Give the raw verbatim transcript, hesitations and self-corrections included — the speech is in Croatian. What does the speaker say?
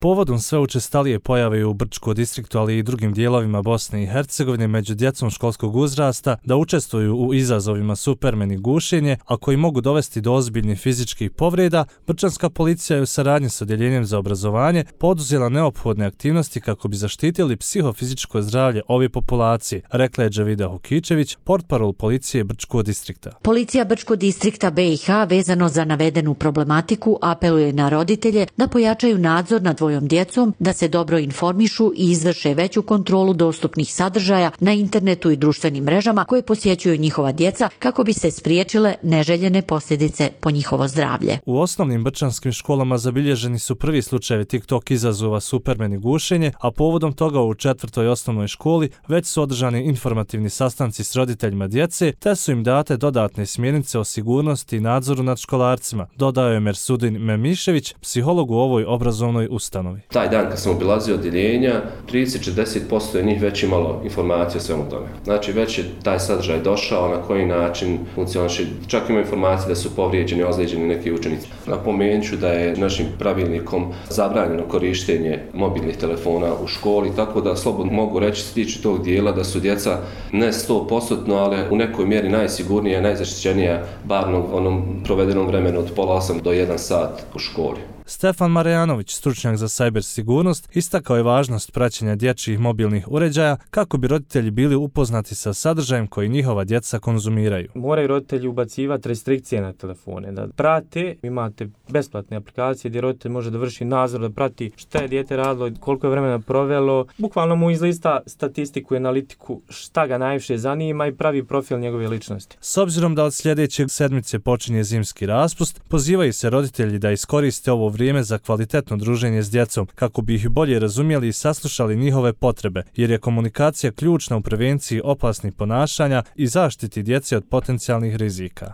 Povodom sve učestalije pojave u Brčkom distriktu, ali i drugim dijelovima Bosne i Hercegovine među djecom školskog uzrasta da učestvuju u izazovima Supermen i gušenje, a koji mogu dovesti do ozbiljnih fizičkih povreda, brčanska policija je u saradnji s Odjeljenjem za obrazovanje poduzela neophodne aktivnosti kako bi zaštitili psihofizičko zdravlje ove populacije, rekla je Džavida Hukičević, portparol policije Brčkog distrikta. Policija Brčkog distrikta B i H vezano za navedenu problematiku apeluje na roditelje da pojačaju nadzor nad svojom djecom, da se dobro informišu i izvrše veću kontrolu dostupnih sadržaja na internetu i društvenim mrežama koje posjećuju njihova djeca kako bi se spriječile neželjene posljedice po njihovo zdravlje. U osnovnim brčanskim školama zabilježeni su prvi slučajevi TikTok izazova Supermen i gušenje, a povodom toga u četvrtoj osnovnoj školi već su održani informativni sastanci s roditeljima djece, te su im date dodatne smjernice o sigurnosti i nadzoru nad školarcima, dodao je Mersudin Memišević, psiholog u ovoj obrazovnoj ustanovi. Taj dan kad sam obilazio odjeljenja, trideset do četrdeset posto je njih već imalo informacije o svemu tome. Znači već je taj sadržaj došao, na koji način funkcioniše. Čak ima informacije da su povrijeđeni, ozlijeđeni neki učenici. Napomenut ću da je našim pravilnikom zabranjeno korištenje mobilnih telefona u školi, tako da slobodno mogu reći se tiče tog dijela da su djeca ne sto posto, ali u nekoj mjeri najsigurnija, najzaštićenija, bar u onom provedenom vremenu od pola osam do jedan sat u školi. Stefan Marjanović, stručnjak za sajber sigurnost, istakao je važnost praćenja dječjih mobilnih uređaja kako bi roditelji bili upoznati sa sadržajem koji njihova djeca konzumiraju. Moraju roditelji ubacivati restrikcije na telefone, da prate, imate besplatne aplikacije gdje roditelj može da vrši nadzor, da prati šta je dijete radilo, koliko je vremena provelo, bukvalno mu izlista statistiku i analitiku šta ga najviše zanima i pravi profil njegove ličnosti. S obzirom da od sljedećeg sedmice počinje zimski raspust, pozivaju se roditelji da iskoriste ovo vrijeme za kvalitetno druženje s djecom kako bi ih bolje razumjeli i saslušali njihove potrebe, jer je komunikacija ključna u prevenciji opasnih ponašanja i zaštiti djece od potencijalnih rizika.